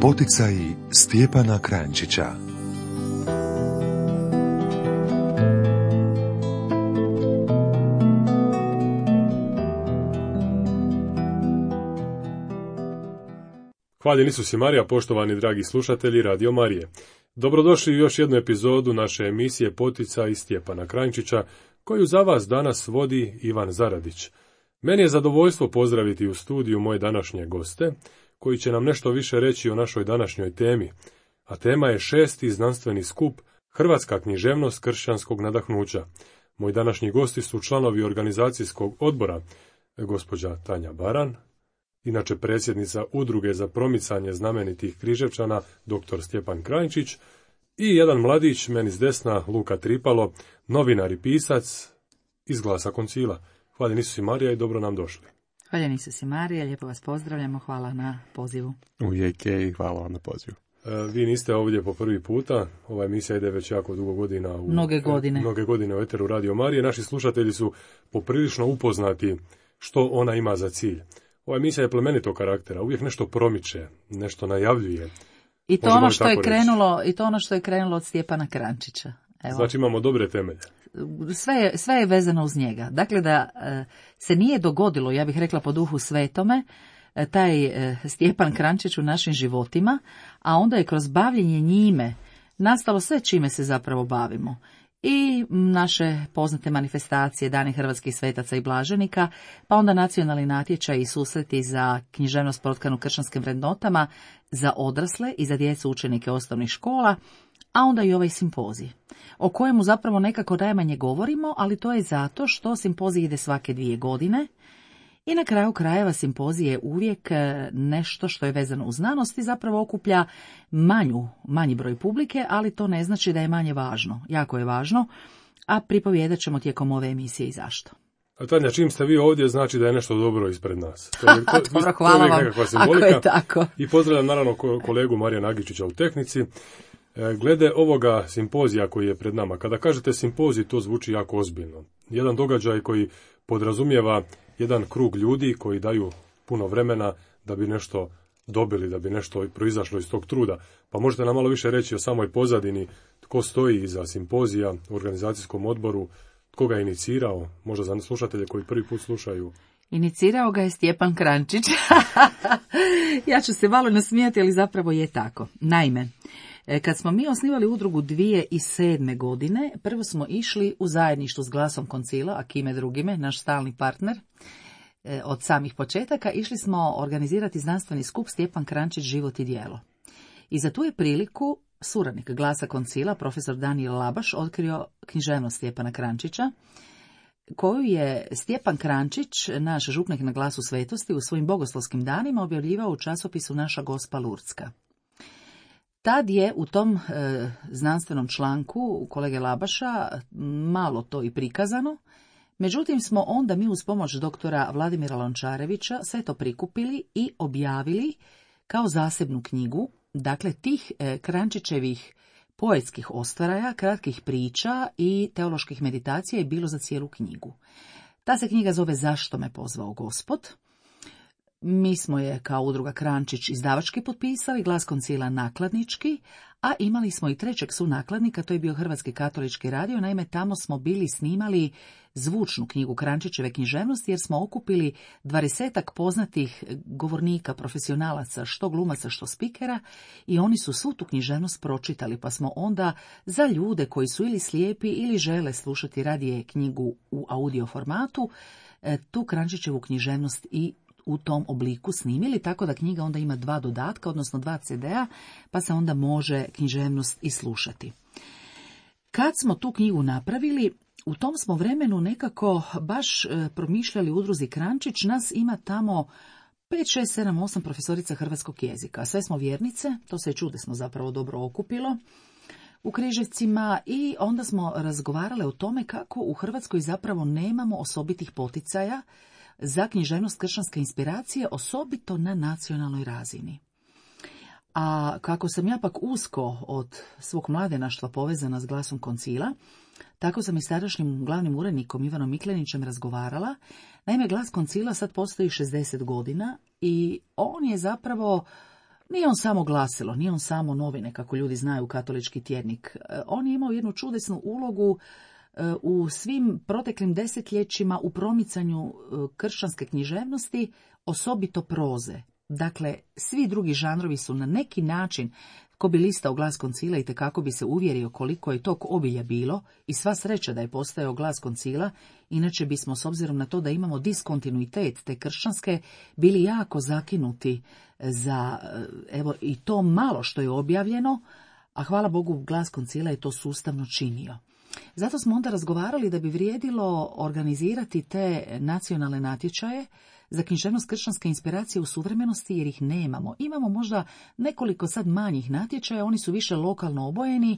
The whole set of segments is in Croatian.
Poticaji Stjepana Kranjčića. Hvaljen Isus i Marija, poštovani dragi slušatelji Radio Marije. Dobrodošli u još jednu epizodu naše emisije Poticaji Stjepana Kranjčića, koju za vas danas vodi Ivan Zaradić. Meni je zadovoljstvo pozdraviti u studiju moje današnje goste, koji će nam nešto više reći o našoj današnjoj temi, a tema je 6. znanstveni skup Hrvatska književnost kršćanskog nadahnuća. Moji današnji gosti su članovi organizacijskog odbora, gospođa Tanja Baran, inače predsjednica Udruge za promicanje znamenitih Križevčana, dr. Stjepan Kranjčić, i jedan mladić, meni s desna, Luka Tripalo, novinar i pisac iz Glasa Koncila. Hvaljen Isus i Marija i dobro nam došli. Hvaljen Isus i Marija, lijepo vas pozdravljamo, hvala na pozivu. Uvijek je i hvala vam na pozivu. Vi niste ovdje po prvi puta, ova emisija ide već jako dugo godina. Mnoge godine u eteru Radio Marije. Naši slušatelji su poprilično upoznati što ona ima za cilj. Ova emisija je plemenitog karaktera, uvijek nešto promiče, nešto najavljuje. I to ono što je krenulo od Stjepana Kranjčića. Evo. Znači imamo dobre temelje. Sve je vezano uz njega. Dakle, da se nije dogodilo, ja bih rekla po duhu svetome, taj Stjepan Kranjčić u našim životima, a onda je kroz bavljenje njime nastalo sve čime se zapravo bavimo. I naše poznate manifestacije, Dani hrvatskih svetaca i blaženika, pa onda nacionalni natječaj i susreti za književnost protkanu kršćanskim vrednotama za odrasle i za djecu učenike osnovnih škola, a onda i ovaj simpozij, o kojemu zapravo nekako najmanje govorimo, ali to je zato što simpozij ide svake 2 godine i na kraju krajeva simpozij je uvijek nešto što je vezano uz znanost i zapravo okuplja manji broj publike, ali to ne znači da je manje važno. Jako je važno, a pripovjedat ćemo tijekom ove emisije i zašto. A Tanja, čim ste vi ovdje, znači da je nešto dobro ispred nas. Dobro, hvala vam, ako je tako. I pozdravljam naravno kolegu Marija Nagičića u tehnici. Glede ovoga simpozija koji je pred nama, kada kažete simpozij, to zvuči jako ozbiljno. Jedan događaj koji podrazumijeva jedan krug ljudi koji daju puno vremena da bi nešto dobili, da bi nešto proizašlo iz tog truda. Pa možete nam malo više reći o samoj pozadini, tko stoji iza simpozija u organizacijskom odboru, tko ga je inicirao, možda za slušatelje koji prvi put slušaju. Inicirao ga je Stjepan Kranjčić. Ja ću se malo nasmijati, ali zapravo je tako. Naime, kad smo mi osnivali udrugu 2007. godine, prvo smo išli u zajedništvu s Glasom Koncila, a kime drugime, naš stalni partner, od samih početaka, išli smo organizirati znanstveni skup Stjepan Kranjčić, život i djelo. I za tu je priliku suradnik Glasa Koncila, profesor Danijel Labaš, otkrio književnost Stjepana Kranjčića, koju je Stjepan Kranjčić, naš župnik na Glasu svetosti, u svojim bogoslovskim danima objavljivao u časopisu Naša Gospa Lurdska. Tad je u tom znanstvenom članku kolege Labaša malo to i prikazano, međutim smo onda mi uz pomoć doktora Vladimira Lončarevića sve to prikupili i objavili kao zasebnu knjigu, dakle tih Kranjčićevih poetskih ostvaraja, kratkih priča i teoloških meditacija je bilo za cijelu knjigu. Ta se knjiga zove Zašto me pozvao Gospod. Mi smo je kao udruga Kranjčić izdavački potpisali, Glas Koncila nakladnički, a imali smo i trećeg sunakladnika, to je bio Hrvatski katolički radio, naime tamo smo bili snimali zvučnu knjigu Kranjčićeve književnosti jer smo okupili 20-ak poznatih govornika, profesionalaca, što glumaca, što spikera, i oni su svu tu književnost pročitali, pa smo onda za ljude koji su ili slijepi ili žele slušati radije knjigu u audio formatu, tu Kranjčićevu književnost i u tom obliku snimili, tako da knjiga onda ima 2 dodatka, odnosno 2 CD-a, pa se onda može književnost i slušati. Kad smo tu knjigu napravili, u tom smo vremenu nekako baš promišljali u udruzi Kranjčić, nas ima tamo 5, 6, 7, 8 profesorica hrvatskog jezika. Sve smo vjernice, to se čudesno zapravo dobro okupilo u Križevcima, i onda smo razgovarali o tome kako u Hrvatskoj zapravo nemamo osobitih poticaja za književnost kršćanske inspiracije, osobito na nacionalnoj razini. A kako sam ja pak usko od svog mladenaštva povezana s Glasom Koncila, tako sam i s tadašnjim glavnim urednikom Ivanom Miklenićem razgovarala. Naime, Glas Koncila sad postoji 60 godina i on je zapravo Nije on samo glasilo, nije on samo novine, kako ljudi znaju, katolički tjednik. On je imao jednu čudesnu ulogu u svim proteklim desetljećima u promicanju kršćanske književnosti, osobito proze. Dakle, svi drugi žanrovi su na neki način, ko bi listao Glas koncila i tekako bi se uvjerio koliko je tog obilja bilo, i sva sreća da je postojao Glas koncila, inače bismo, s obzirom na to da imamo diskontinuitet te kršćanske, bili jako zakinuti za, evo, i to malo što je objavljeno, a hvala Bogu Glas koncila je to sustavno činio. Zato smo onda razgovarali da bi vrijedilo organizirati te nacionalne natječaje za književnost kršćanske inspiracije u suvremenosti, jer ih nemamo. Imamo možda nekoliko sad manjih natječaja, oni su više lokalno obojeni,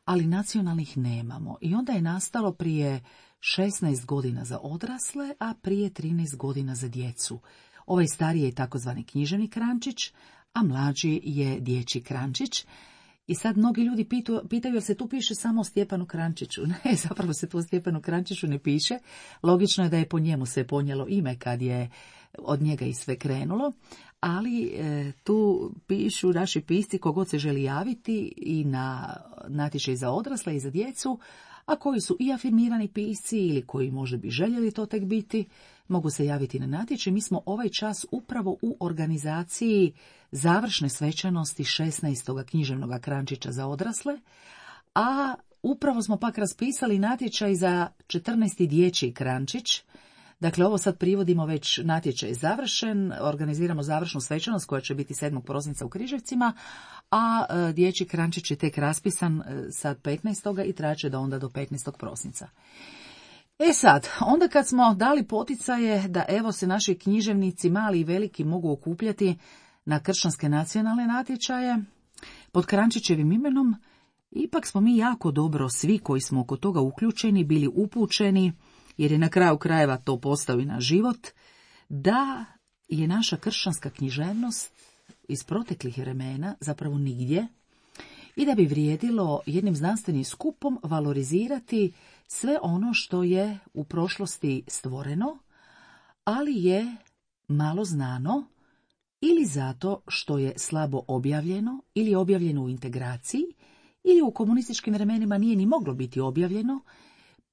ali nacionalnih nemamo. I onda je nastalo prije 16 godina za odrasle, a prije 13 godina za djecu. Ovaj stariji je takozvani književni krančić, a mlađi je dječji krančić. I sad mnogi ljudi pitaju jer se tu piše samo o Stjepanu Krančiću. Ne, zapravo se tu o Stjepanu Krančiću ne piše. Logično je da je po njemu se ponijelo ime kad je od njega i sve krenulo, ali tu pišu naši pisci kogod se želi javiti i na natječaj za odrasle i za djecu, a koji su i afirmirani pisci ili koji možda bi željeli to tek biti, mogu se javiti na natječaj. Mi smo ovaj čas upravo u organizaciji završne svečanosti 16. književnog krančića za odrasle, a upravo smo pak raspisali natječaj za 14. dječji krančić. Dakle, ovo sad privodimo, već natječaj je završen, organiziramo završnu svečanost koja će biti 7. prosinca u Križevcima, a dječji krančić je tek raspisan sad 15. i traće da onda do 15. prosinca. E sad, onda kad smo dali poticaje da evo se naši književnici, mali i veliki, mogu okupljati na kršćanske nacionalne natječaje pod Krančićevim imenom, ipak smo mi jako dobro, svi koji smo oko toga uključeni, bili upućeni, jer je na kraju krajeva to postao i naš život, da je naša kršćanska književnost iz proteklih vremena zapravo nigdje i da bi vrijedilo jednim znanstvenim skupom valorizirati sve ono što je u prošlosti stvoreno, ali je malo znano ili zato što je slabo objavljeno ili je objavljeno u integraciji ili u komunističkim vremenima nije ni moglo biti objavljeno,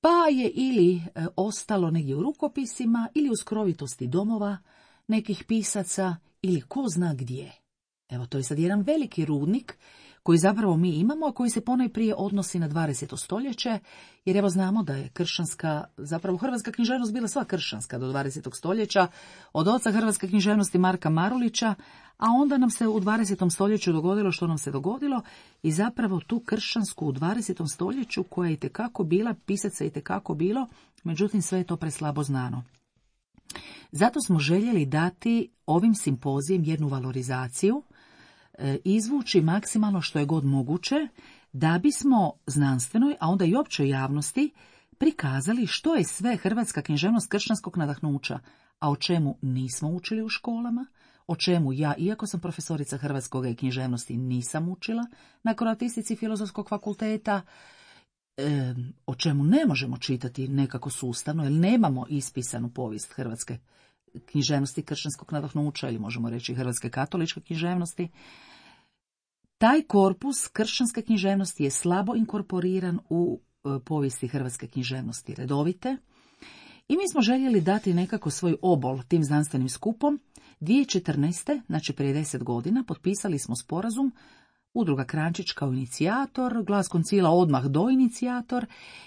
pa je ili ostalo negdje u rukopisima ili u skrovitosti domova nekih pisaca ili ko zna gdje. Evo, to je sad jedan veliki rudnik koji zapravo mi imamo, a koji se ponajprije odnosi na 20. stoljeće, jer evo znamo da je kršćanska, zapravo hrvatska književnost bila sva kršćanska do 20. stoljeća, od oca hrvatske književnosti Marka Marulića, a onda nam se u 20. stoljeću dogodilo što nam se dogodilo i zapravo tu kršćansku u 20. stoljeću koja je itekako bila, pisaca je itekako bilo, međutim sve je to preslabo znano. Zato smo željeli dati ovim simpozijem jednu valorizaciju, izvući maksimalno što je god moguće, da bismo znanstvenoj, a onda i općoj javnosti prikazali što je sve hrvatska književnost kršćanskog nadahnuća, a o čemu nismo učili u školama, o čemu ja, iako sam profesorica hrvatskoga i književnosti, nisam učila na kroatistici Filozofskog fakulteta, o čemu ne možemo čitati nekako sustavno, jer nemamo ispisanu povijest hrvatske književnosti kršćanskog nadahnuća, ili možemo reći hrvatske katoličke književnosti. Taj korpus kršćanske književnosti je slabo inkorporiran u povijesti hrvatske književnosti redovite i mi smo željeli dati nekako svoj obol tim znanstvenim skupom. 2014. znači prije 10 godina, potpisali smo sporazum, Udruga Krančić kao inicijator, Glas koncila odmah do inicijator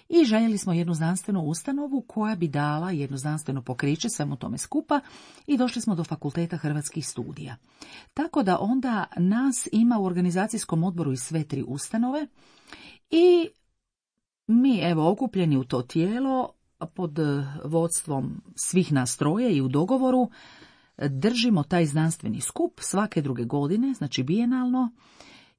i željeli smo jednu znanstvenu ustanovu koja bi dala jedno znanstveno pokriće svemu tome skupa i došli smo do Fakulteta hrvatskih studija. Tako da onda nas ima u organizacijskom odboru i sve 3 ustanove i mi evo okupljeni u to tijelo pod vodstvom svih nas troje i u dogovoru držimo taj znanstveni skup svake druge godine, znači bijenalno.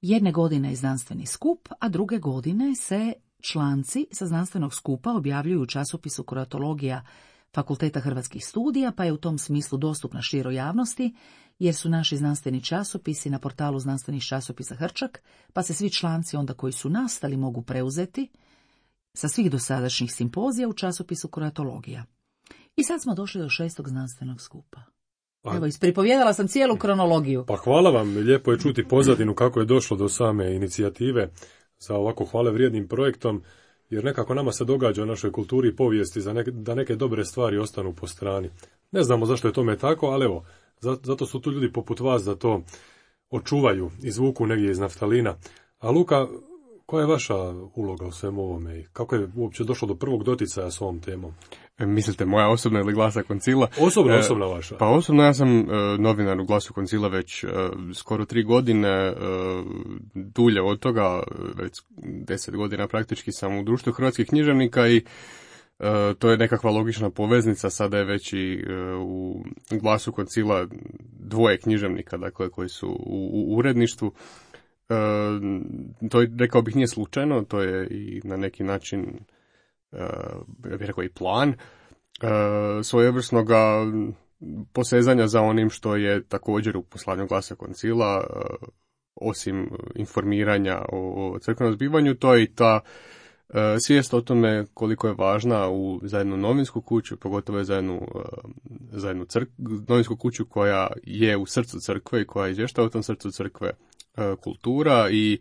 Jedne godine je znanstveni skup, a druge godine se članci sa znanstvenog skupa objavljuju u časopisu Kroatologija Fakulteta hrvatskih studija, pa je u tom smislu dostupna široj javnosti, jer su naši znanstveni časopisi na portalu znanstvenih časopisa Hrčak, pa se svi članci onda koji su nastali mogu preuzeti sa svih dosadašnjih simpozija u časopisu Kroatologija. I sad smo došli do 6. znanstvenog skupa. Evo, ispripovjedala sam cijelu kronologiju. Pa hvala vam, lijepo je čuti pozadinu kako je došlo do same inicijative za ovako hvale vrijednim projektom, jer nekako nama se događa u našoj kulturi i povijesti da neke dobre stvari ostanu po strani. Ne znamo zašto je tome tako, ali evo, zato su tu ljudi poput vas da to očuvaju, izvuku negdje iz naftalina. A Luka, koja je vaša uloga u svemu ovome i kako je uopće došlo do prvog doticaja s ovom temom? Mislite moja osobna ili Glasa Koncila? Osobna vaša. Pa osobno ja sam novinar u Glasu Koncila već skoro 3 godine, dulje od toga, već 10 godina praktički sam u Društvu hrvatskih književnika i to je nekakva logična poveznica, sada je već i u Glasu Koncila 2 književnika, dakle, koji su u uredništvu. To je, rekao bih, nije slučajno, to je i na neki način, ja bih rekao, i plan svojevrsnoga posezanja za onim što je također u poslanju Glasa Koncila, osim informiranja o crkvenom zbivanju, to je i ta svijest o tome koliko je važna za jednu novinsku kuću, pogotovo za jednu novinsku kuću koja je u srcu crkve i koja izvještava u tom srcu crkve, kultura i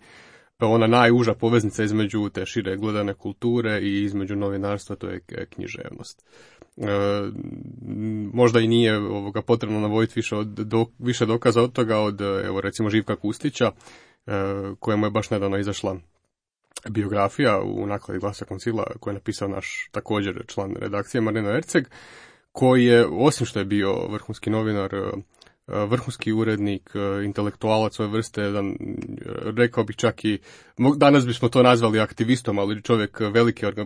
ona najuža poveznica između te šire gledane kulture i između novinarstva, to je književnost. Možda i nije potrebno navoditi više dokaza od toga od, evo, recimo, Živka Kustića, kojemu je baš nedavno izašla biografija u nakladi Glasa Koncila, koju je napisao naš također član redakcije Marino Erceg, koji je, osim što je bio vrhunski novinar, vrhunski urednik, intelektualac svoje vrste, jedan, rekao bih čak i, danas bismo to nazvali aktivistom, ali čovjek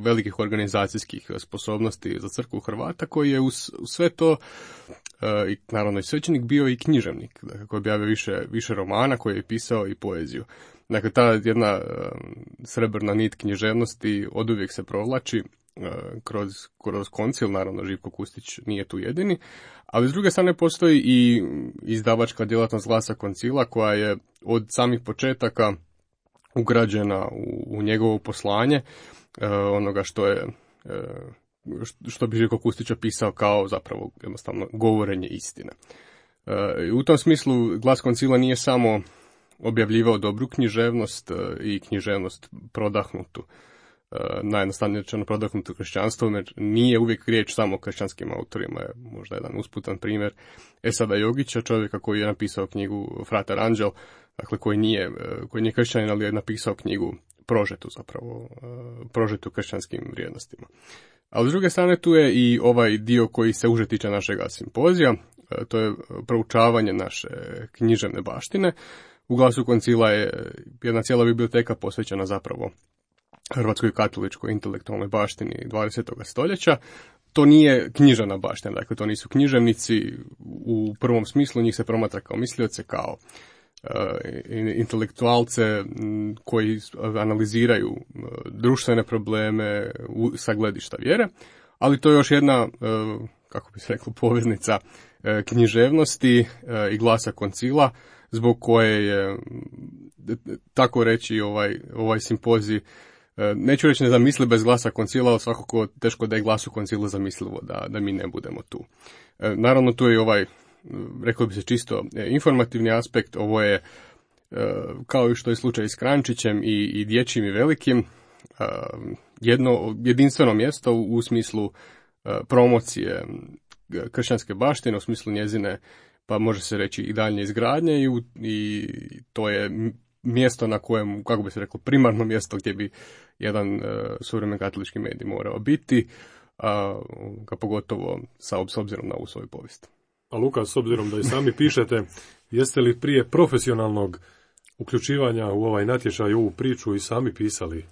velikih organizacijskih sposobnosti za crkvu Hrvata, koji je uz sve to, i naravno i svećenik, bio i književnik, dakle, koji je objavio više romana, koji je pisao i poeziju. Dakle, ta jedna srebrna nit književnosti oduvijek se provlači kroz koncil, naravno Živko Kustić nije tu jedini, ali s druge strane postoji i izdavačka djelatnost Glasa Koncila koja je od samih početaka ugrađena u njegovo poslanje, onoga što bi Živko Kustić opisao kao zapravo jednostavno govorenje istine. U tom smislu Glas Koncila nije samo objavljivao dobru književnost i književnost prodahnutu, najjednostavnije rečeno prodahnuto kršćanstvo, jer nije uvijek riječ samo o kršćanskim autorima. Je možda jedan usputan primjer Esada Jogića, čovjeka koji je napisao knjigu Frater Anđel, dakle koji nije kršćanin, ali je napisao knjigu prožetu kršćanskim vrijednostima. Ali s druge strane tu je i ovaj dio koji se uže tiče našega simpozija, to je proučavanje naše književne baštine. U Glasu Koncila je jedna cijela biblioteka posvećena zapravo hrvatskoj katoličkoj intelektualnoj baštini 20. stoljeća. To nije književna baština, dakle to nisu književnici u prvom smislu, njih se promatra kao mislioce, kao intelektualce koji analiziraju društvene probleme sa gledišta vjere, ali to je još jedna, kako bi se reklo, poveznica književnosti i Glasa Koncila, zbog koje je, tako reći, ovaj simpozij, neću reći nezamisliv bez Glasa Koncila, ali svakako teško da je Glasu Koncila zamislivo da mi ne budemo tu. Naravno, tu je rekao bi se, čisto informativni aspekt. Ovo je, kao i što je slučaj s Krančićem i dječjim i velikim, jedno jedinstveno mjesto u smislu promocije kršćanske baštine, u smislu njezine, pa može se reći, i daljnje izgradnje, i to je mjesto na kojem, kako bi se reklo, primarno mjesto gdje bi jedan suvremen katolički medij morao biti, pogotovo s obzirom na ovu svoju povijest. A Luka, s obzirom da i sami pišete, jeste li prije profesionalnog uključivanja u ovaj natječaj, u ovu priču, i sami pisali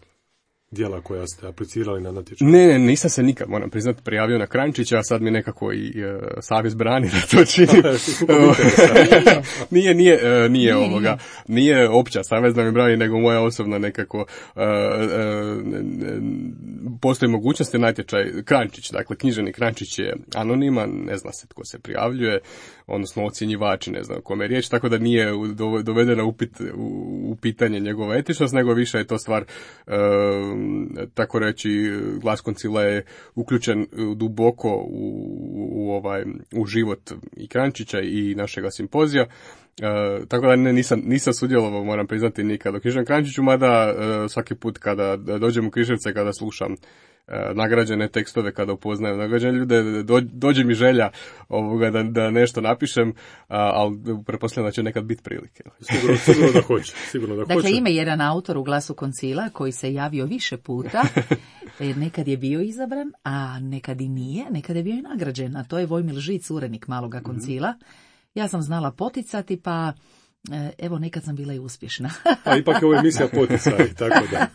djela koja ste aplicirali na natječaj? Ne, nisam se nikad, moram priznati, prijavio na Krančića, a sad mi nekako i savjest brani da to činim. Nije opća savjest da mi brani, nego moja osobna nekako, postoji mogućnosti natječaj Krančić, dakle književni Krančić je anoniman, ne zna se tko se prijavljuje, odnosno ocjenjivači, ne znam o kome je riječ, tako da nije dovedena u pitanje njegova etičnost, nego više je to stvar, tako reći, Glas Koncila je uključen duboko u u život i Kranjčića i našega simpozija. Tako da nisam sudjelovao, moram priznati, nikad u Književnom Kranjčiću, mada svaki put kada dođem u Križevce, kada slušam nagrađene tekstove, kada upoznajem nagrađene ljude, dođe mi želja da nešto napišem, ali pretpostavljam da će nekad biti prilike. Sigurno da hoće. Dakle, ima jedan autor u Glasu Koncila koji se javio više puta, nekad je bio izabran, a nekad i nije, nekad je bio i nagrađen, a to je Vojmil Žic, urednik Maloga Koncila. Ja sam znala poticati, pa evo, nekad sam bila i uspješna. Pa ipak je ovo emisija poticaj, tako da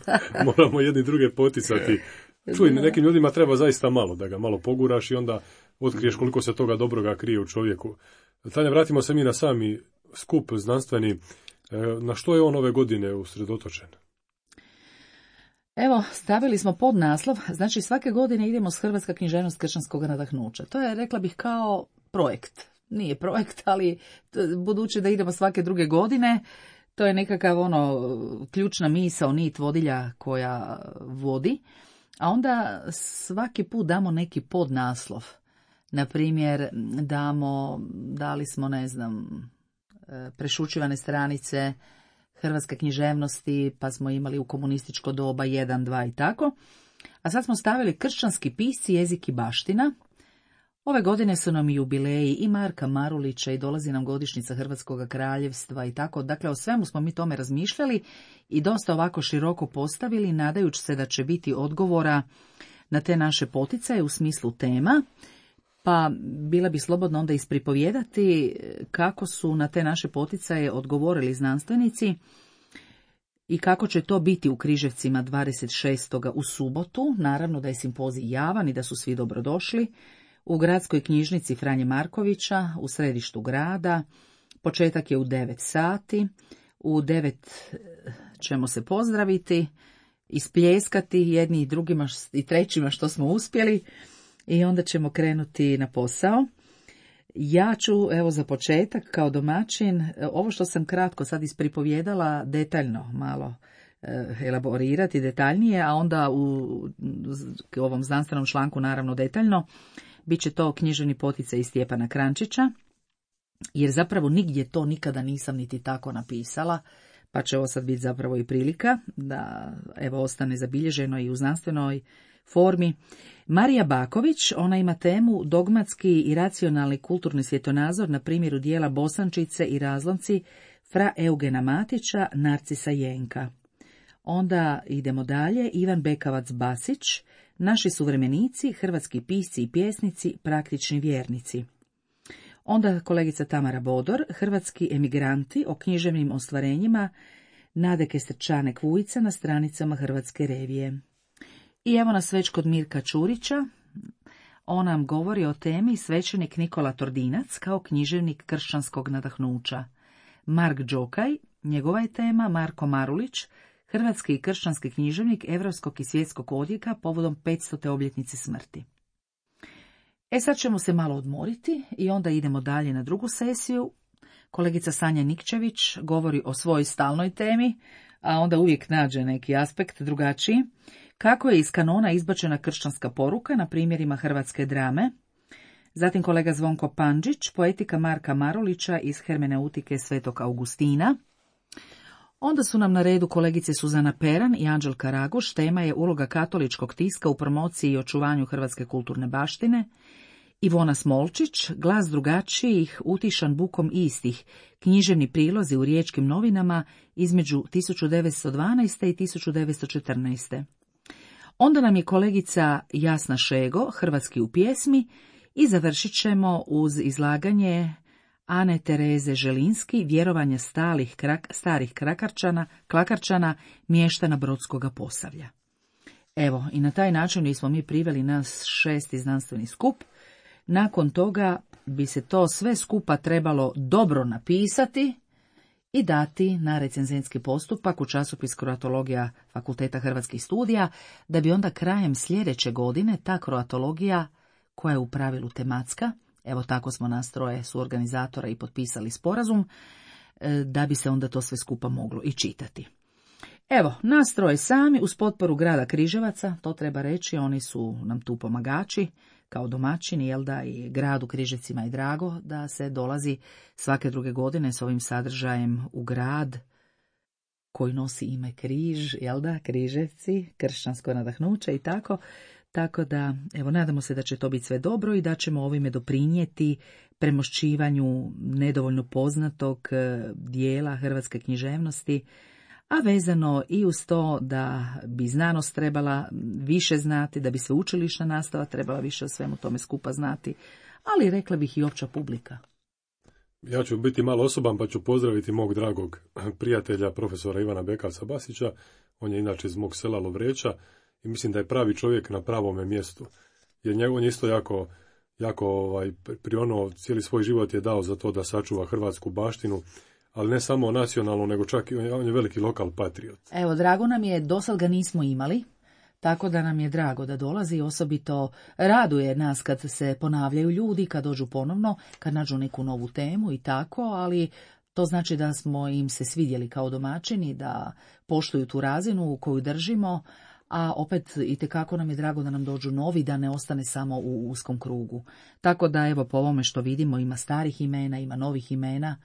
moramo jedni druge poticati. Čuj, nekim ljudima treba zaista malo, da ga malo poguraš i onda otkriješ koliko se toga dobroga krije u čovjeku. Tanja, vratimo se mi na sami skup znanstveni. Na što je on ove godine usredotočen? Evo, stavili smo podnaslov, znači svake godine idemo s Hrvatska književnost kršćanskog nadahnuća. To je, rekla bih, kao projekt. Nije projekt, ali budući da idemo svake druge godine, to je nekakav ključna misao, nit vodilja koja vodi. A onda svaki put damo neki podnaslov. Na primjer, dali smo, prešućivane stranice hrvatske književnosti, pa smo imali u komunističko doba 1, 2 i tako. A sad smo stavili kršćanski pisci, jezik i baština. Ove godine su nam jubileji i Marka Marulića i dolazi nam godišnjica Hrvatskog kraljevstva i tako. Dakle, o svemu smo mi tome razmišljali i dosta ovako široko postavili, nadajući se da će biti odgovora na te naše poticaje u smislu tema. Pa bila bi slobodno onda ispripovijedati kako su na te naše poticaje odgovorili znanstvenici i kako će to biti u Križevcima 26. u subotu. Naravno da je simpozij javan i da su svi dobrodošli. U gradskoj knjižnici Franje Markovića, u središtu grada. Početak je u 9 sati. U 9 ćemo se pozdraviti, ispljeskati jedni i drugima i trećima što smo uspjeli i onda ćemo krenuti na posao. Ja ću, evo za početak, kao domaćin, ovo što sam kratko sad ispripovjedala, detaljno malo elaborirati detaljnije, a onda u ovom znanstvenom članku naravno detaljno. Biće to književni poticaj iz Stjepana Kranjčića, jer zapravo nigdje to nikada nisam niti tako napisala, pa će ovo sad biti zapravo i prilika da evo ostane zabilježeno i u znanstvenoj formi. Marija Baković, ona ima temu dogmatski i racionalni kulturni svjetonazor na primjeru dijela Bosančice i razlomci fra Eugena Matića, Narcisa Jenka. Onda idemo dalje, Ivan Bekavac Basić, naši suvremenici, hrvatski pisci i pjesnici, praktični vjernici. Onda kolegica Tamara Bodor, hrvatski emigranti o književnim ostvarenjima Nade Kestrčanek Vujica na stranicama Hrvatske revije. I evo nas već kod Mirka Čurića. On nam govori o temi svećenik Nikola Tordinac kao književnik kršćanskog nadahnuća. Mark Đokaj, njegova je tema Marko Marulić, hrvatski i kršćanski književnik europskog i svjetskog odjeka povodom 500. obljetnice smrti. Sad ćemo se malo odmoriti i onda idemo dalje na drugu sesiju. Kolegica Sanja Nikčević govori o svojoj stalnoj temi, a onda uvijek nađe neki aspekt drugačiji. Kako je iz kanona izbačena kršćanska poruka na primjerima hrvatske drame. Zatim kolega Zvonko Pandžić, poetika Marka Marulića iz hermeneutike Svetog Augustina. Onda su nam na redu kolegice Suzana Peran i Anđelka Raguš. Tema je uloga katoličkog tiska u promociji i očuvanju hrvatske kulturne baštine. Ivona Smolčić, glas drugačijih, utišan bukom istih, književni prilozi u Riječkim novinama između 1912. i 1914. Onda nam je kolegica Jasna Šego, hrvatski u pjesmi, i završit ćemo uz izlaganje Ane Tereze Želinski, vjerovanja starih klakarčana, mještana Brodskoga Posavlja. Evo, i na taj način smo mi priveli nas 6. znanstveni skup. Nakon toga bi se to sve skupa trebalo dobro napisati i dati na recenzentski postupak u časopis Kroatologija Fakulteta Hrvatskih studija, da bi onda krajem sljedeće godine ta kroatologija, koja je u pravilu tematska, evo tako smo nas troje suorganizatora i potpisali sporazum, da bi se onda to sve skupa moglo i čitati. Evo, nas troje sami uz potporu grada Križevaca, to treba reći, oni su nam tu pomagači, kao domaćin, jel da, i gradu Križevcima je drago da se dolazi svake druge godine s ovim sadržajem u grad koji nosi ime Križ, jel da, Križevci, kršćansko nadahnuće i tako. Tako da, evo, nadamo se da će to biti sve dobro i da ćemo ovime doprinijeti premošćivanju nedovoljno poznatog dijela hrvatske književnosti, a vezano i uz to da bi znanost trebala više znati, da bi sveučilišna nastava trebala više o svemu tome skupa znati, ali rekla bih i opća publika. Ja ću biti malo osoban pa ću pozdraviti mog dragog prijatelja, profesora Ivana Bekavca Basića. On je inače iz mog sela Lovreća i mislim da je pravi čovjek na pravome mjestu. Jer on je isto jako prionuo, cijeli svoj život je dao za to da sačuva hrvatsku baštinu, ali ne samo nacionalnu, nego čak i on je veliki lokal patriot. Evo, drago nam je, dosad ga nismo imali, tako da nam je drago da dolazi, osobito raduje nas kad se ponavljaju ljudi, kad dođu ponovno, kad nađu neku novu temu i tako, ali to znači da smo im se svidjeli kao domaćini, da poštuju tu razinu u koju držimo, a opet itekako nam je drago da nam dođu novi, da ne ostane samo u uskom krugu. Tako da, evo, po ovome što vidimo, ima starih imena, ima novih imena,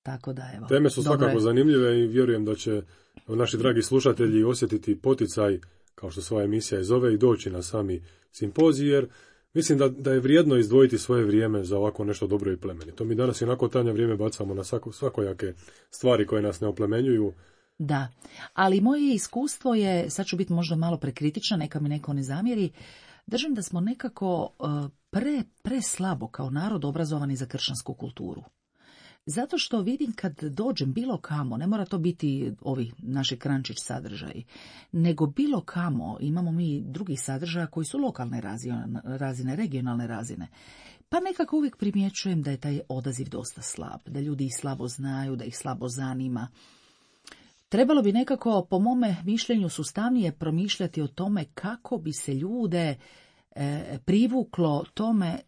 tako da, evo. Teme su svakako zanimljive i vjerujem da će naši dragi slušatelji osjetiti poticaj, kao što svoja emisija i zove, i doći na sami simpozij, jer mislim da je vrijedno izdvojiti svoje vrijeme za ovako nešto dobro i plemenito. Mi danas i onako tanja vrijeme bacamo na svakojake stvari koje nas ne oplemenjuju. Da, ali moje iskustvo je, sad ću biti možda malo prekritična, neka mi neko ne zamjeri, držim da smo nekako preslabo kao narod obrazovani za kršćansku kulturu. Zato što vidim kad dođem bilo kamo, ne mora to biti ovi naši Krančić sadržaji, nego bilo kamo imamo mi drugih sadržaja koji su lokalne razine, regionalne razine. Pa nekako uvijek primjećujem da je taj odaziv dosta slab, da ljudi ih slabo znaju, da ih slabo zanima. Trebalo bi nekako, po mome mišljenju, sustavnije promišljati o tome kako bi se ljude privuklo tome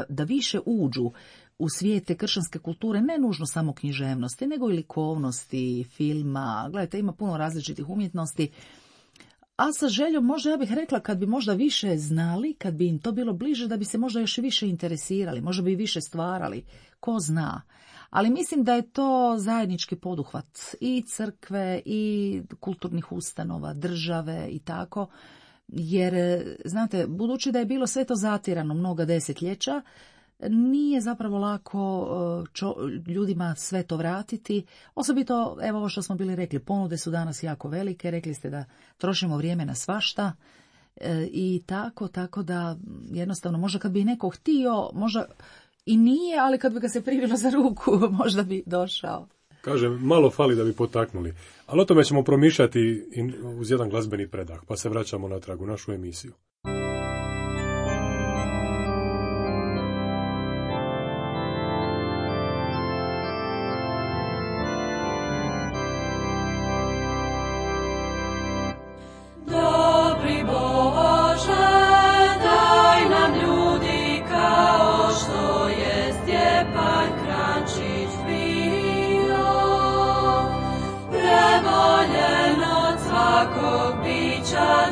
da više uđu u svijete kršćanske kulture, ne nužno samo književnosti, nego i likovnosti, filma. Gledajte, ima puno različitih umjetnosti. A sa željom, možda ja bih rekla, kad bi možda više znali, kad bi im to bilo bliže, da bi se možda još više interesirali, možda bi više stvarali, ko zna. Ali mislim da je to zajednički poduhvat i crkve i kulturnih ustanova, države i tako. Jer, znate, budući da je bilo sve to zatirano mnoga desetljeća, nije zapravo lako ljudima sve to vratiti. Osobito, evo ovo što smo bili rekli, ponude su danas jako velike, rekli ste da trošimo vrijeme na svašta i tako da jednostavno možda kad bi neko htio, možda i nije, ali kad bi ga se privilo za ruku, možda bi došao. Kažem, malo fali da bi potaknuli. Ali o tome ćemo promišljati uz jedan glazbeni predah, pa se vraćamo natrag u našu emisiju.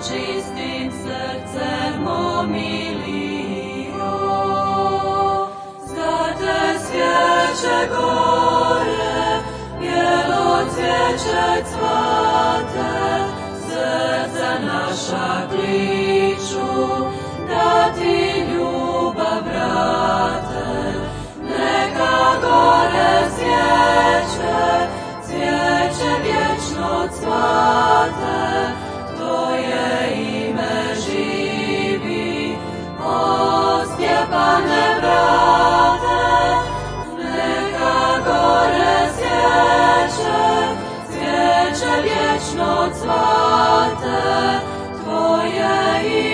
Čistim srcem omilio, za te svijeće gore, bijelo cvijeće cvate, srca naša kliču, da ti ljubav vrate. Neka gore svijeće, cvijeće vječno cvate, Tvoje ime živi, o Stjepane brate. Neka gore svijeće, cvijeće vječno cvate, Tvoje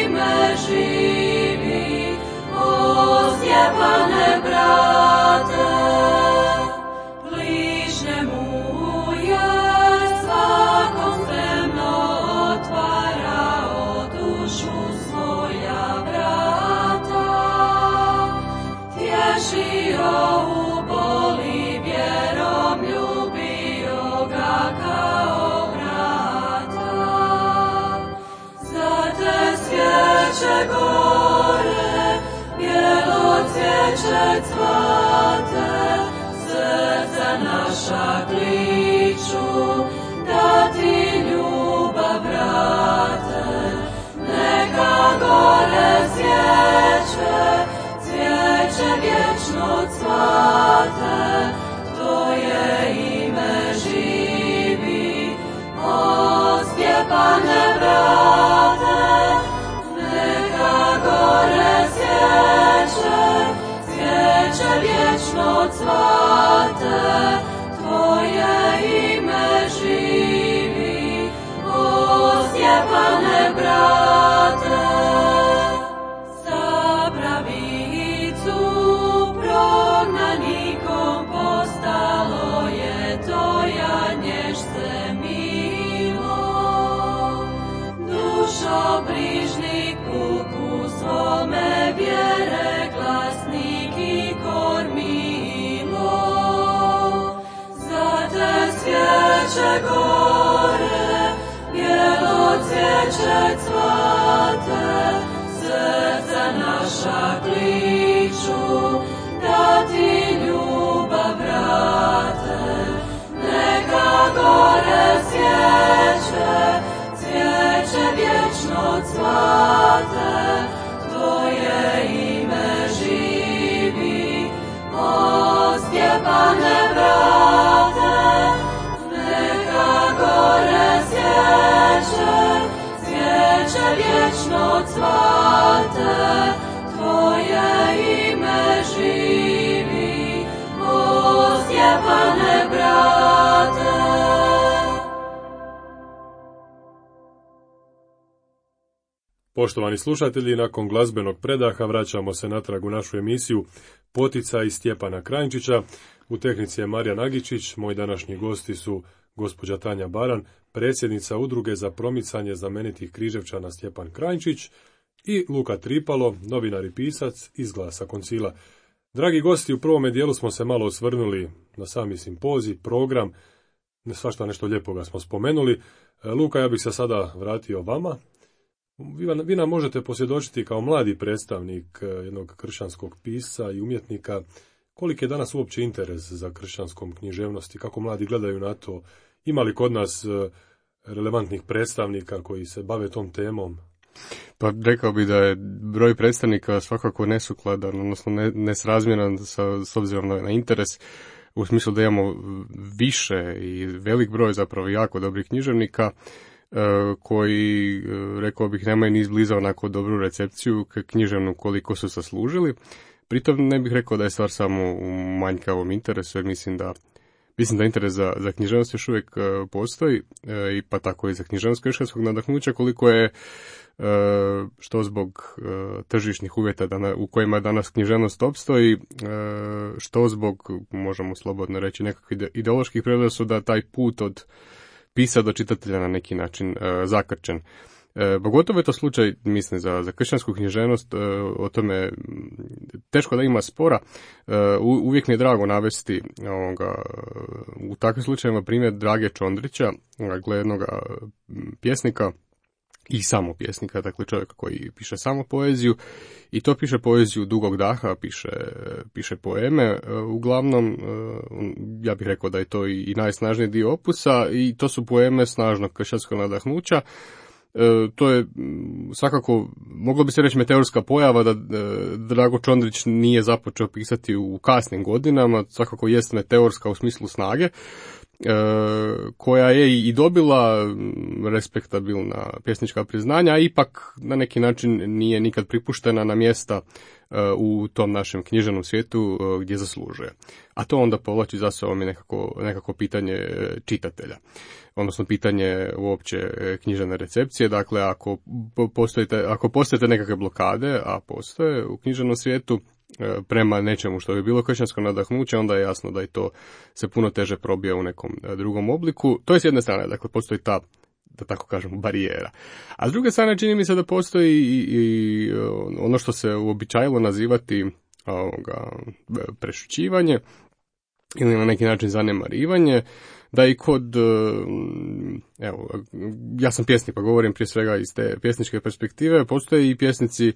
ime živi, o Stjepane brate. Bližnjemu je svakom spremno otvarao dušu svoja vrata, tješio u boli vjerom, ljubio ga kao brata. Za te svijeće gore, cvijeće cvate, srca naša kliču, da ti ljubav vrate. Neka gore svijeće, cvijeće vječno cvate, tvoje ime živi, o Stjepane brate. Neka gore svijeće, cvijeće vječno cvate, tvoje ime živi, o Stjepane brate. Za pravicu prognanikom postalo je to janješce milo. Dušo brižnik puku svome vjere glasnik i kormilo. Za te svijeće gore, bijelo cvijeće cvate, srca naša kliču, da ti ljubav vrate. Neka gore svijeće, cvijeće vječno cvate, tvoje ime živi, o Stjepane brate. Neka gore svijeće, cvijeće vječno cvate, tvoje ime živi, o Stjepane brate. Poštovani slušatelji, nakon glazbenog predaha vraćamo se natrag u našu emisiju Poticaj Stjepana Kranjčića. U tehnici je Marija Nagičić, moji današnji gosti su gospođa Tanja Baran, predsjednica Udruge za promicanje znamenitih Križevčana Stjepan Kranjčić, i Luka Tripalo, novinar i pisac iz Glasa Koncila. Dragi gosti, u prvome dijelu smo se malo osvrnuli na sami simpozij, program, svašta nešto lijepoga smo spomenuli. Luka, ja bih se sada vratio vama. Vi nam možete posvjedočiti kao mladi predstavnik jednog kršćanskog pisca i umjetnika, koliki je danas uopće interes za kršćanskom književnosti, kako mladi gledaju na to, ima li kod nas relevantnih predstavnika koji se bave tom temom? Pa rekao bi da je broj predstavnika svakako nesukladan, odnosno nesrazmjeran s obzirom na interes, u smislu da imamo više i velik broj zapravo jako dobrih književnika, koji, rekao bih, nemaju ni izbliza onako dobru recepciju književnu koliko su zaslužili. Pritom ne bih rekao da je stvar samo u manjkavom interesu, jer mislim da interes za književnost još uvijek postoji, i pa tako i za književnost kršćanskog nadahnuća, koliko je što zbog tržišnih uvjeta u kojima danas književnost opstoji, što zbog, možemo slobodno reći, nekakvih ideoloških predrasuda, taj put od pisa do čitatelja na neki način zakrčen. Pogotovo je to slučaj, mislim, za kršćansku književnost, o tome teško da ima spora. Uvijek mi je drago navesti u takvim slučajevima primjer Drage Čondrića, jednog pjesnika i samo pjesnika, dakle čovjeka koji piše samo poeziju, i to piše poeziju dugog daha, piše poeme. Uglavnom, ja bih rekao da je to i najsnažniji dio opusa, i to su poeme snažnog kršćanskog nadahnuća. To je svakako, moglo bi se reći, meteorska pojava da Drago Čondrić nije započeo pisati u kasnim godinama, svakako jest meteorska u smislu snage, koja je i dobila respektabilna pjesnička priznanja, a ipak na neki način nije nikad pripuštena na mjesta u tom našem književnom svijetu gdje zaslužuje. A to onda povlači za sobom i nekako pitanje čitatelja, odnosno pitanje uopće književne recepcije. Dakle, ako postojite nekakve blokade, a postoje u književnom svijetu, prema nečemu što bi bilo kršćansko nadahnuće, onda je jasno da i to se puno teže probija u nekom drugom obliku. To je s jedne strane, dakle, postoji ta, da tako kažemo, barijera. A s druge strane, čini mi se da postoji i ono što se uobičajilo nazivati prešućivanje ili na neki način zanemarivanje, da i kod, ja sam pjesnik pa govorim prije svega iz te pjesničke perspektive, postoje i pjesnici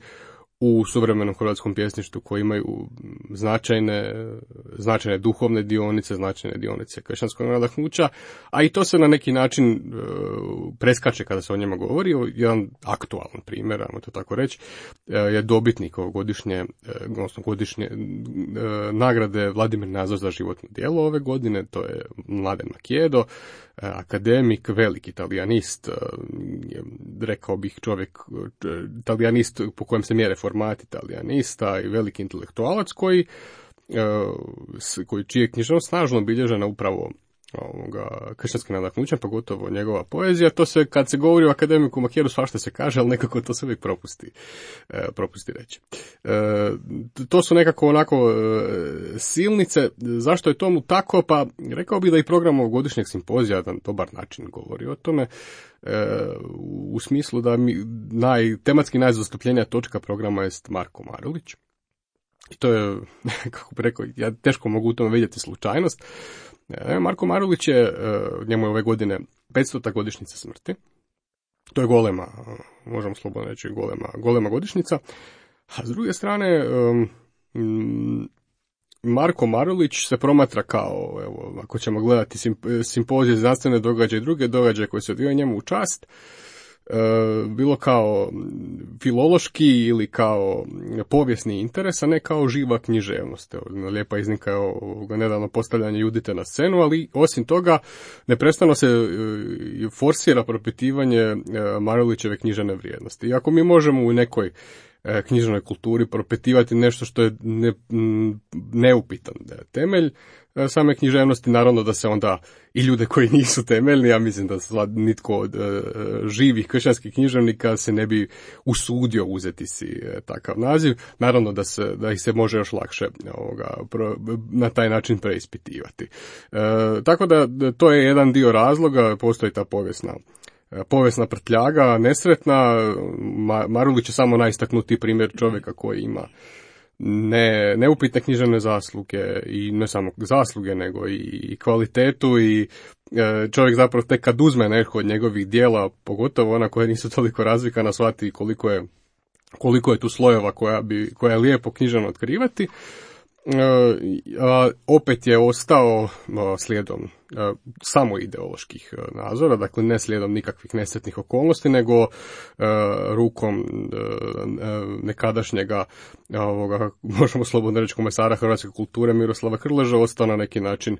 u suvremenom hrvatskom pjesništvu koji imaju značajne duhovne dionice, značajne dionice kršćanskog nadahnuća, a i to se na neki način preskače kada se o njima govori. Jedan aktualan primjer, ajmo to tako reći, je dobitnik godišnje nagrade Vladimir Nazor za životno djelo ove godine, to je Mladen Makijedo, akademik, veliki talijanist, rekao bih čovjek, talijanist po kojem se mjere formati talijanista i veliki intelektualac čije je književnost snažno obilježena upravo kršćanskim nadahnućem, pogotovo njegova poezija. To se, kad se govori o akademiku Makijedu, svašta se kaže, ali nekako to se uvijek propusti reći. To su nekako onako silnice. Zašto je tomu tako? Pa rekao bih da i program ovogodišnjeg simpozija na dobar način govori o tome, u smislu da tematski najzastupljenija točka programa jest Marko Marulić. I to je, kako bi rekao, ja teško mogu u tome vidjeti slučajnost. Marko Marulić je, njemu je ove godine 500. godišnjica smrti. To je golema, možemo slobodno reći, golema godišnjica. A s druge strane, Marko Marulić se promatra kao, evo, ako ćemo gledati simpozije, znanstvene događaje i druge događaje koje se odvijaju njemu u čast, bilo kao filološki ili kao povijesni interes, a ne kao živa književnost. Lijepa iznimka je nedavno postavljanje Judite na scenu, ali osim toga neprestano se forsira propitivanje Marulićeve književne vrijednosti. Iako mi možemo u nekoj književnoj kulturi propitivati nešto što je neupitan temelj same književnosti, naravno da se onda i ljude koji nisu temeljni, ja mislim da nitko od živih kršćanskih književnika se ne bi usudio uzeti si takav naziv, naravno da ih se može još lakše na taj način preispitivati. Tako da to je jedan dio razloga, postoji ta povijesna prtljaga, nesretna. Marulić je samo najistaknutiji primjer čovjeka koji ima neupitne književne zasluge i ne samo zasluge nego i kvalitetu, i čovjek zapravo tek kad uzme neko od njegovih dijela, pogotovo ona koja nisu toliko razvikana, shvati koliko je tu slojeva koja je lijepo književno otkrivati. Opet je ostao slijedom samo ideoloških nazora, dakle ne slijedom nikakvih nesretnih okolnosti, nego rukom nekadašnjega, možemo slobodno reći, komesara hrvatske kulture Miroslava Krleža ostao na neki način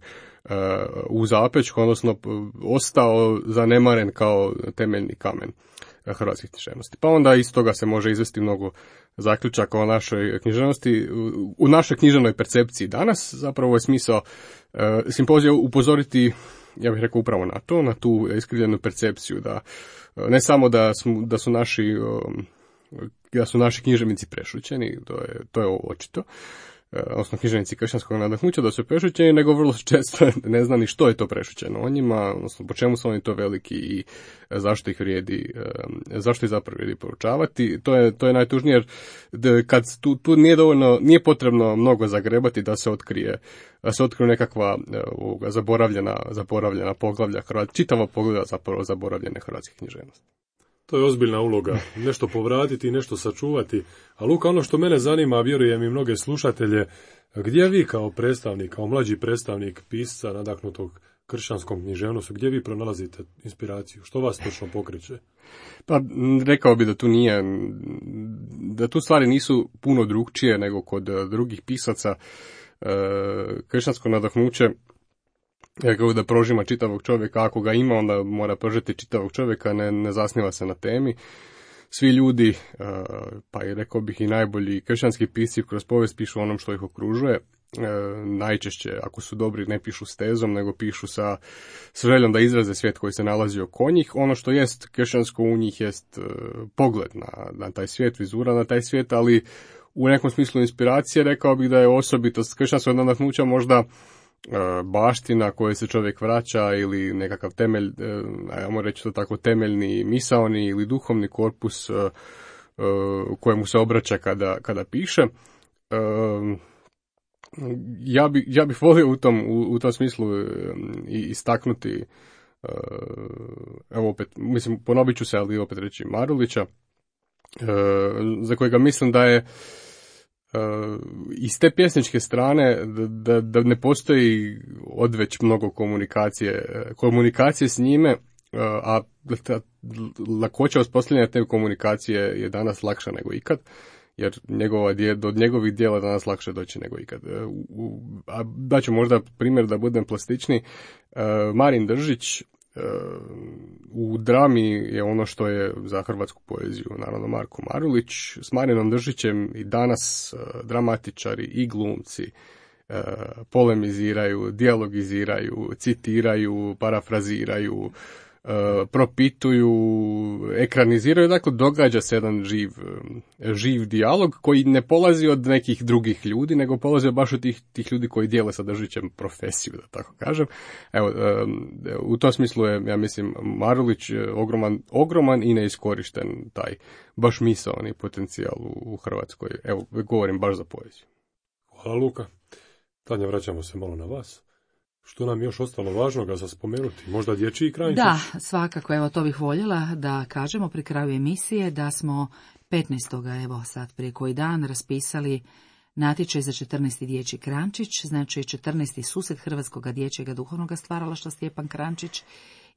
u zapećku, odnosno ostao zanemaren kao temeljni kamen hrvatskih književnosti. Pa onda iz toga se može izvesti mnogo zaključaka o našoj književnosti, u našoj književnoj percepciji danas. Zapravo je smisao simpozija upozoriti, ja bih rekao, upravo na to, na tu iskrivljenu percepciju, da ne samo da su naši književnici prešućeni, to je očito, odnosno književnici kršćanskog nadahnuća da su prešućeni, nego vrlo često ne zna ni što je to prešućeno o njima, odnosno po čemu su oni to veliki i zašto ih zapravo vrijedi poručavati. To je najtužnije, jer kad tu nije potrebno mnogo zagrebati da se otkriju nekakva zaboravljena poglavlja, čitava poglavlja zapravo zaboravljene hrvatske književnosti. To je ozbiljna uloga, nešto povratiti i nešto sačuvati. A Luka, ono što mene zanima, a vjerujem i mnoge slušatelje, gdje vi kao predstavnik, kao mlađi predstavnik pisca nadahnutog kršćanskom književnostu, gdje vi pronalazite inspiraciju? Što vas točno pokreće? Pa rekao bi da tu stvari nisu puno drukčije nego kod drugih pisaca. Kršćansko nadahnuće, kako da prožima čitavog čovjeka, ako ga ima, onda mora prožeti čitavog čovjeka, ne zasniva se na temi. Svi ljudi, pa i rekao bih i najbolji kršćanski pisci kroz povijest pišu onom što ih okružuje. Najčešće, ako su dobri, ne pišu s tezom, nego pišu sa željom da izraze svijet koji se nalazi oko njih. Ono što jest kršćansko u njih jest pogled na taj svijet, vizura na taj svijet, ali u nekom smislu inspiracije rekao bih da je osobitost kršćanskog nadahnuća možda baština koje se čovjek vraća ili nekakav temelj, ajmo reći to tako, temeljni misaoni ili duhovni korpus kojemu se obraća kada piše. Ja bih volio u tom smislu istaknuti, evo opet, mislim, ponovit ću se, ali opet reći Marulića, za kojega mislim da je iz te pjesničke strane da ne postoji odveć mnogo komunikacije s njime, a lakoća uspostavljanja te komunikacije je danas lakša nego ikad, jer do njegovih dijela danas lakše doći nego ikad. A daću možda primjer da budem plastični. Marin Držić u drami je ono što je za hrvatsku poeziju naravno Marko Marulić. S Marinom Držićem i danas dramatičari i glumci polemiziraju, dijalogiziraju, citiraju, parafraziraju, propituju, ekraniziraju, dakle događa se jedan živ dijalog koji ne polazi od nekih drugih ljudi, nego polazi baš od tih ljudi koji dijele sa Držićem profesiju, da tako kažem. Evo, u tom smislu je, ja mislim, Marulić ogroman i neiskorišten taj baš misaoni potencijal u Hrvatskoj. Evo, govorim baš za poeziju. Hvala Luka. Tanja, vraćamo se malo na vas. Što nam još ostalo važnoga za spomenuti? Možda dječji krančić? Da, svakako, evo to bih voljela da kažemo pri kraju emisije da smo 15. evo sad prije koji dan raspisali natječaj za 14. dječji krančić, znači 14. susret Hrvatskog dječjega duhovnog stvaralaštva Stjepan Krančić,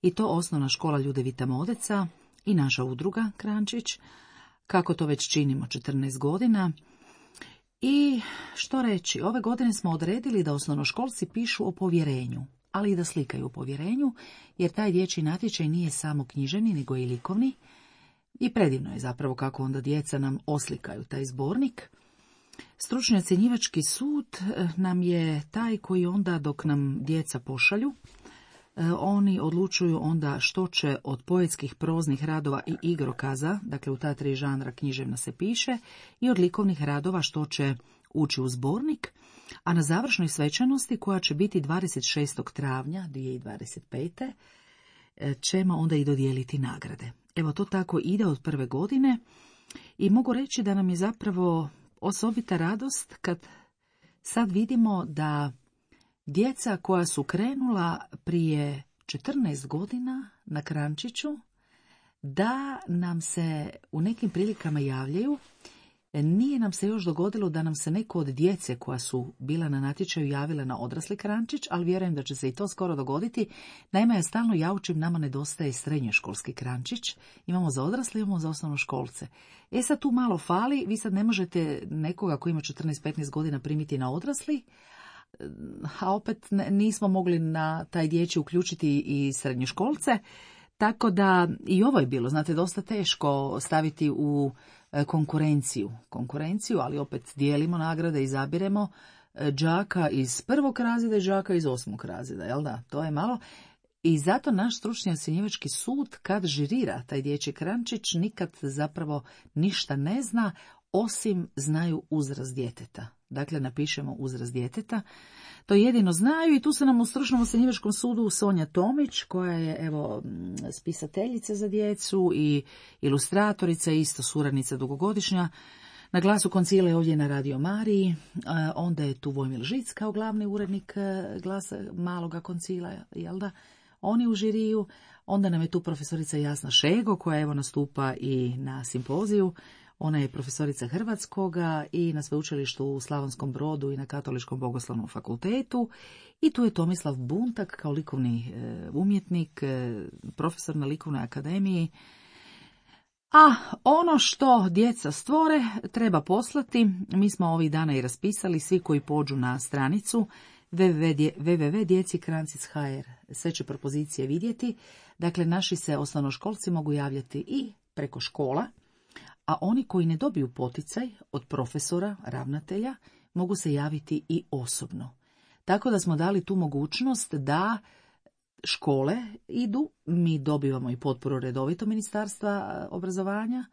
i to osnovna škola Ljudevita Modeca i naša udruga Krančić, kako to već činimo 14 godina. I što reći, ove godine smo odredili da osnovnoškolci pišu o povjerenju, ali i da slikaju o povjerenju, jer taj dječji natječaj nije samo književni, nego i likovni. I predivno je zapravo kako onda djeca nam oslikaju taj zbornik. Stručni ocjenjivački sud nam je taj koji onda, dok nam djeca pošalju, oni odlučuju onda što će od poetskih, proznih radova i igrokaza, dakle u ta 3 žanra književna se piše, i od likovnih radova što će ući u zbornik, a na završnoj svečanosti koja će biti 26. travnja 2025. ćemo onda i dodijeliti nagrade. Evo, to tako ide od prve godine i mogu reći da nam je zapravo osobita radost kad sad vidimo da djeca koja su krenula prije 14 godina na Krančiću, da nam se u nekim prilikama javljaju. Nije nam se još dogodilo da nam se neko od djece koja su bila na natječaju javila na odrasli Krančić, ali vjerujem da će se i to skoro dogoditi. Naime, ja stalno jaučim, nama nedostaje srednjoškolski Krančić. Imamo za odrasle, imamo za osnovnoškolce. Sad tu malo fali, vi sad ne možete nekoga koji ima 14-15 godina primiti na odrasli, a opet nismo mogli na taj dječji uključiti i srednjoškolce, tako da i ovo je bilo, znate, dosta teško staviti u konkurenciju, ali opet dijelimo nagrade, izabiremo đaka iz 1. razreda i đaka iz 8. razreda, jel da? To je malo. I zato naš stručni ocjenjivački sud, kad žirira taj dječji Krančić, nikad zapravo ništa ne zna, osim znaju uzrast djeteta. Dakle, napišemo uzrast djeteta. To jedino znaju i tu se nam u stručnom ocjenjivačkom sudu Sonja Tomić, koja je evo spisateljica za djecu i ilustratorica, isto suradnica dugogodišnja. Na Glasu koncila je ovdje na Radio Mariji, onda je tu Vojmil Žic kao glavni urednik Glasa maloga koncila, jel da? Oni u žiriju. Onda nam je tu profesorica Jasna Šego, koja evo nastupa i na simpoziju. Ona je profesorica hrvatskoga i na sveučilištu u Slavonskom Brodu i na Katoličkom bogoslovnom fakultetu. I tu je Tomislav Buntak kao likovni umjetnik, profesor na likovnoj akademiji. A ono što djeca stvore treba poslati. Mi smo ovih dana i raspisali, svi koji pođu na stranicu www.djecikrancis.hr. Sve će propozicije vidjeti. Dakle, naši se osnovnoškolci mogu javljati i preko škola, a oni koji ne dobiju poticaj od profesora, ravnatelja, mogu se javiti i osobno. Tako da smo dali tu mogućnost da škole idu, mi dobivamo i potporu redovito Ministarstva obrazovanja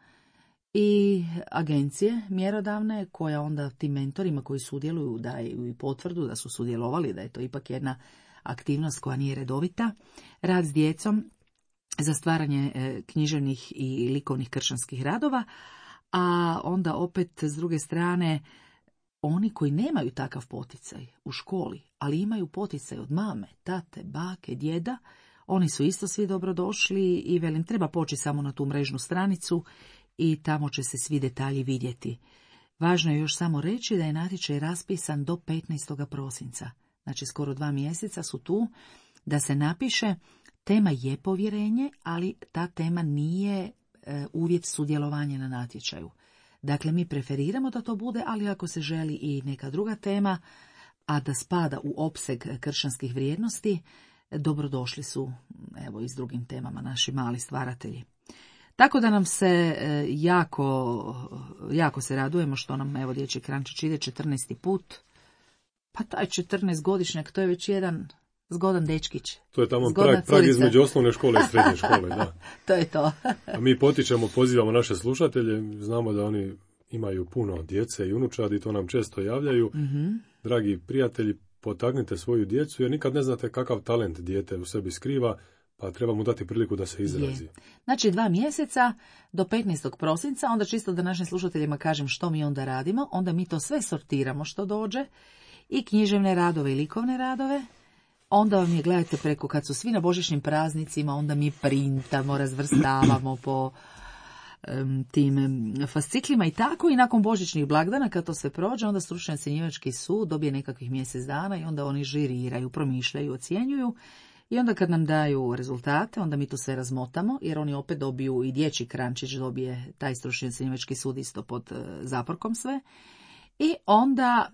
i agencije mjerodavne, koja onda tim mentorima koji sudjeluju daju i potvrdu da su sudjelovali, da je to ipak jedna aktivnost koja nije redovita. Rad s djecom za stvaranje književnih i likovnih kršćanskih radova, a onda opet s druge strane oni koji nemaju takav poticaj u školi, ali imaju poticaj od mame, tate, bake, djeda, oni su isto svi dobrodošli i velim, treba poći samo na tu mrežnu stranicu i tamo će se svi detalji vidjeti. Važno je još samo reći da je natječaj raspisan do 15. prosinca. Znači skoro 2 mjeseca su tu da se napiše. Tema je povjerenje, ali ta tema nije uvjet sudjelovanja na natječaju. Dakle, mi preferiramo da to bude, ali ako se želi i neka druga tema, a da spada u opseg kršćanskih vrijednosti, dobrodošli su, evo, i s drugim temama naši mali stvaratelji. Tako da nam se jako se radujemo što nam, evo, dječji krančić ide 14. put. Pa taj 14-godišnjak, to je već jedan zgodan dečkić. To je tamo prag između osnovne škole i srednje škole, da. To je to. A mi potičemo, pozivamo naše slušatelje, znamo da oni imaju puno djece i unučadi, to nam često javljaju. Mm-hmm. Dragi prijatelji, potaknite svoju djecu, jer nikad ne znate kakav talent dijete u sebi skriva, pa treba mu dati priliku da se izrazi. Znači 2 mjeseca do 15. prosinca, onda čisto da našim slušateljima kažem što mi onda radimo, onda mi to sve sortiramo što dođe, i književne radove i likovne radove. Onda vam je, gledajte, preko kad su svi na božićnim praznicima, onda mi printamo, razvrstavamo po tim fasciklima i tako, i nakon božićnih blagdana kad to sve prođe, onda stručni ocjenjivački sud dobije nekakvih mjesec dana i onda oni žiriraju, promišljaju, ocjenjuju, i onda kad nam daju rezultate, onda mi to sve razmotamo, jer oni opet dobiju, i dječji krančić dobije taj stručni ocjenjivački sud isto pod zaporkom sve, i onda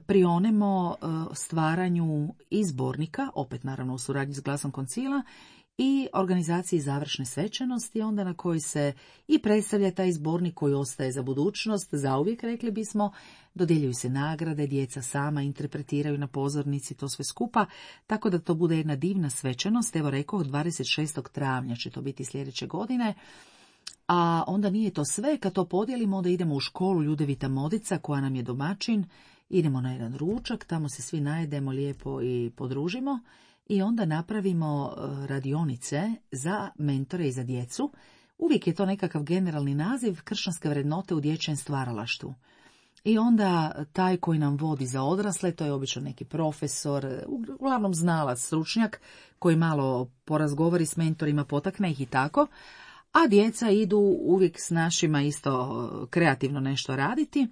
prionemo stvaranju izbornika, opet naravno u suradnji s Glasom koncila, i organizaciji završne svečanosti, onda na koji se i predstavlja taj zbornik koji ostaje za budućnost, zauvijek rekli bismo, dodjeljuju se nagrade, djeca sama interpretiraju na pozornici to sve skupa, tako da to bude jedna divna svečanost. Evo rekao, 26. travnja će to biti sljedeće godine. A onda nije to sve, kad to podijelimo, onda idemo u školu Ljudevita Modica koja nam je domaćin, idemo na jedan ručak, tamo se svi najedemo lijepo i podružimo, i onda napravimo radionice za mentore i za djecu. Uvijek je to nekakav generalni naziv, kršćanske vrednote u dječjem stvaralaštvu. I onda taj koji nam vodi za odrasle, to je obično neki profesor, uglavnom znalac, stručnjak, koji malo porazgovori s mentorima, potakne ih i tako, a djeca idu uvijek s našima isto kreativno nešto raditi,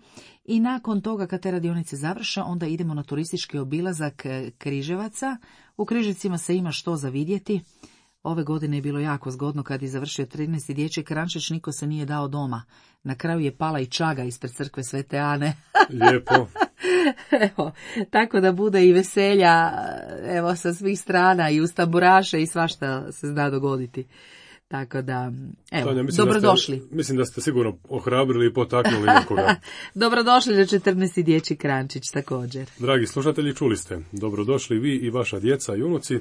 i nakon toga kad te radionice završe, onda idemo na turistički obilazak Križevaca. U Križevcima se ima što za vidjeti. Ove godine je bilo jako zgodno kad je završio 13. dječji krančić, niko se nije dao doma. Na kraju je pala i čaga ispred crkve Svete Ane. Lijepo. Evo, tako da bude i veselja, evo, sa svih strana, i uz tamburaše i svašta se zna dogoditi. Tako da, evo, Tanja, dobrodošli. Mislim da ste sigurno ohrabrili i potaknuli nekoga. Dobrodošli do 14. dječji krančić također. Dragi slušatelji, čuli ste. Dobrodošli vi i vaša djeca i unuci.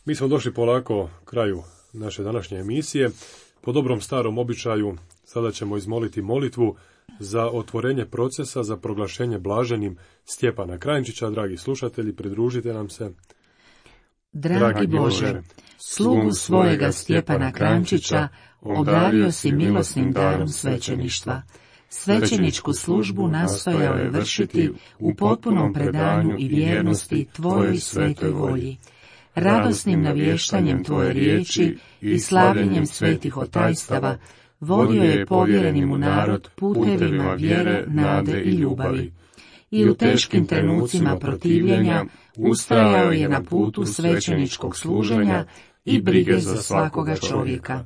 Mi smo došli polako kraju naše današnje emisije. Po dobrom starom običaju sada ćemo izmoliti molitvu za otvorenje procesa za proglašenje blaženim Stjepana Krančića. Dragi slušatelji, pridružite nam se. Dragi Bože, slugu svojega Stjepana Krančića obdario si milosnim darom svećeništva. Svećeničku službu nastojao je vršiti u potpunom predanju i vjernosti Tvojoj svetoj volji. Radosnim navještanjem Tvoje riječi i slavljenjem svetih otajstava vodio je povjereni mu narod putevima vjere, nade i ljubavi. I u teškim trenucima protivljenja ustrajao je na putu svećeničkog služenja i brige za svakoga čovjeka.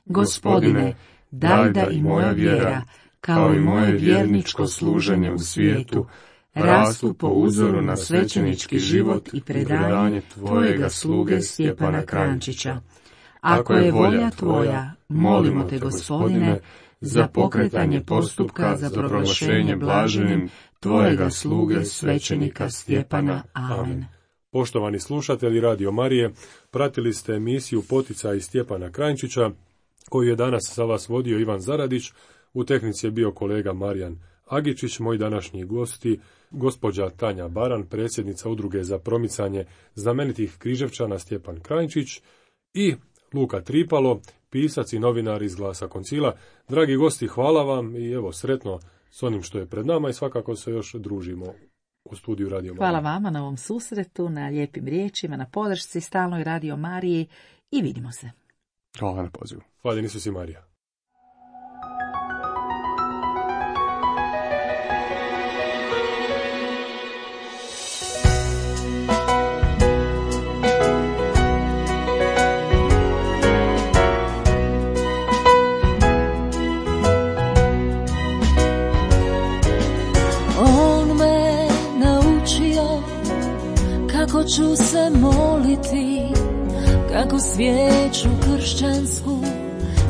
Gospodine, daj da i moja vjera, kao i moje vjerničko služenje u svijetu, rastu po uzoru na svećenički život i predanje Tvojega sluge Stjepana Krančića. Ako je volja Tvoja, molimo Te, Gospodine, za pokretanje postupka za proglašenje blaženim Tvojega sluge svećenika Stjepana. Amen. Poštovani slušatelji Radio Marije, pratili ste emisiju Poticaj Stjepana Krančića, koju je danas za vas vodio Ivan Zaradić. U tehnici je bio kolega Marijan Agičić, moji današnji gosti, gospođa Tanja Baran, predsjednica Udruge za promicanje znamenitih Križevčana Stjepan Krančić, i Luka Tripalo, pisac i novinar iz Glasa koncila. Dragi gosti, hvala vam i evo, sretno s onim što je pred nama, i svakako se još družimo u studiju Radio Marije. Hvala vama na ovom susretu, na lijepim riječima, na podršci stalnoj Radio Mariji, i vidimo se. Hvala na pozivu. Hvala Isusi Marija. Tako ću se moliti, kako svijeću kršćansku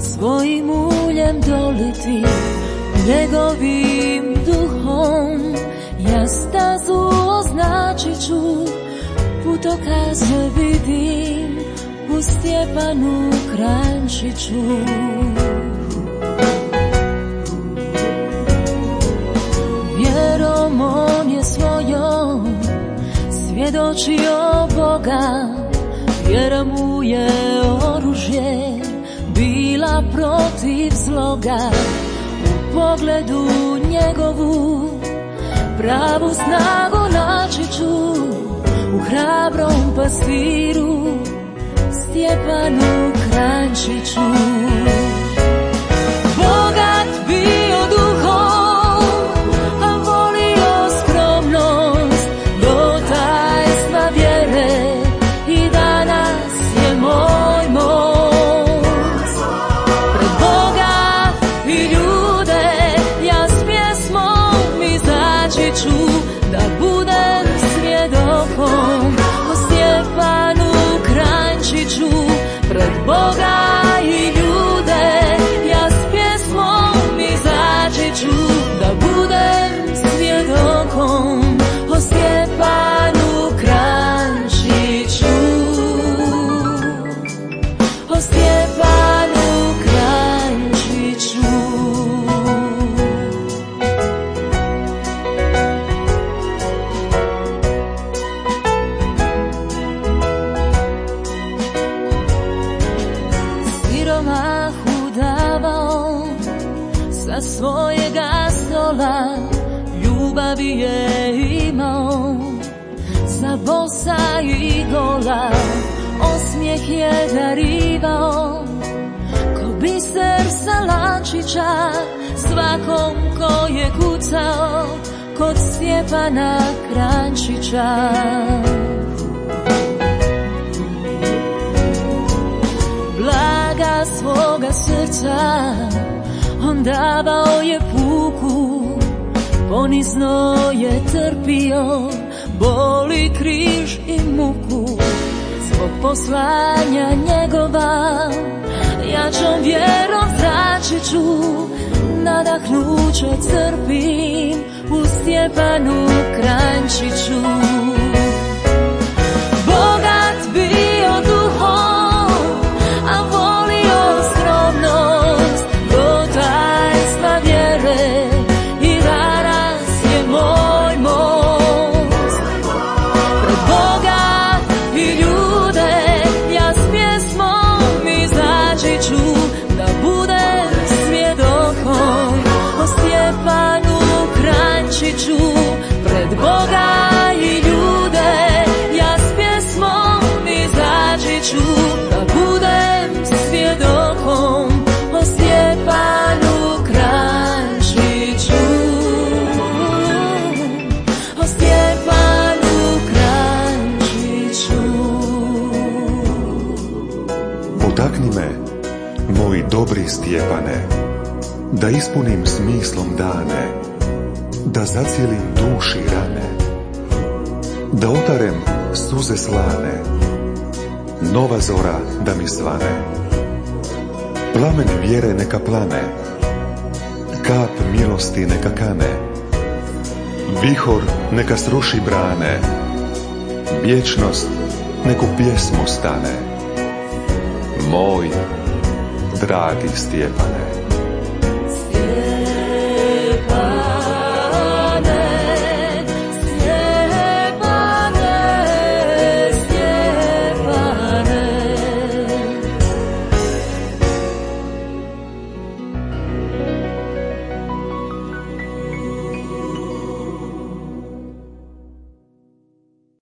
svojim uljem doliti, njegovim duhom ja stazu označit ću, putokaze vidim u Stjepanu Kranjčiću. Vjerom on je svojom svjedočio Boga, vjera mu je oružje bila protiv zloga. U pogledu njegovu pravu snagu naći ću u hrabrom pastiru Stjepanu Kranjčiću. Bogat bio duhom, a volio skromnost do tajstva vjere, i danas je moj most. Pred Boga i ljude ja s pjesmom izaći ću, da budem svjedokom o Stjepanu Kranjčiću. Pred Boga i ljude ja s pjesmom izaći ću, da budem svjedokom o Stjepanu Kranjčiću. O Stjepanu Kranjčiću. Siromahu davao sa svojega stola, ljubavi je imao za bosa i gola. Osmijeh je darivao ko biser sa lančića svakom ko je kucao kod Stjepana Kranjčića. Blaga svoga srca on davao je puku, ponizno je trpio boli, križ i muku. Zbog poslanja njegova jačom vjerom zračit ću, nadahnuće crpim u Stjepanu Kranjčiću. Bogat bio duhom, a volio skromnost do tajstva vjere, i danas je moj most. Pred Boga i ljude ja s pjesmom izaći ću, da budem svjedokom o Stjepanu Kranjčiću. Pred Boga i ljude ja s pjesmom izaći ću, da budem svjedokom o Stjepanu Kranjčiću. O Stjepanu Kranjčiću. Potakni me, moj dobri Stjepane, da ispunim smislom dane, da zacijelim duši rane, da otarem suze slane, nova zora da mi svane. Plamen vjere neka plane, kap milosti neka kane, vihor neka sruši brane, vječnost neku pjesmu stane. Moj dragi Stjepane.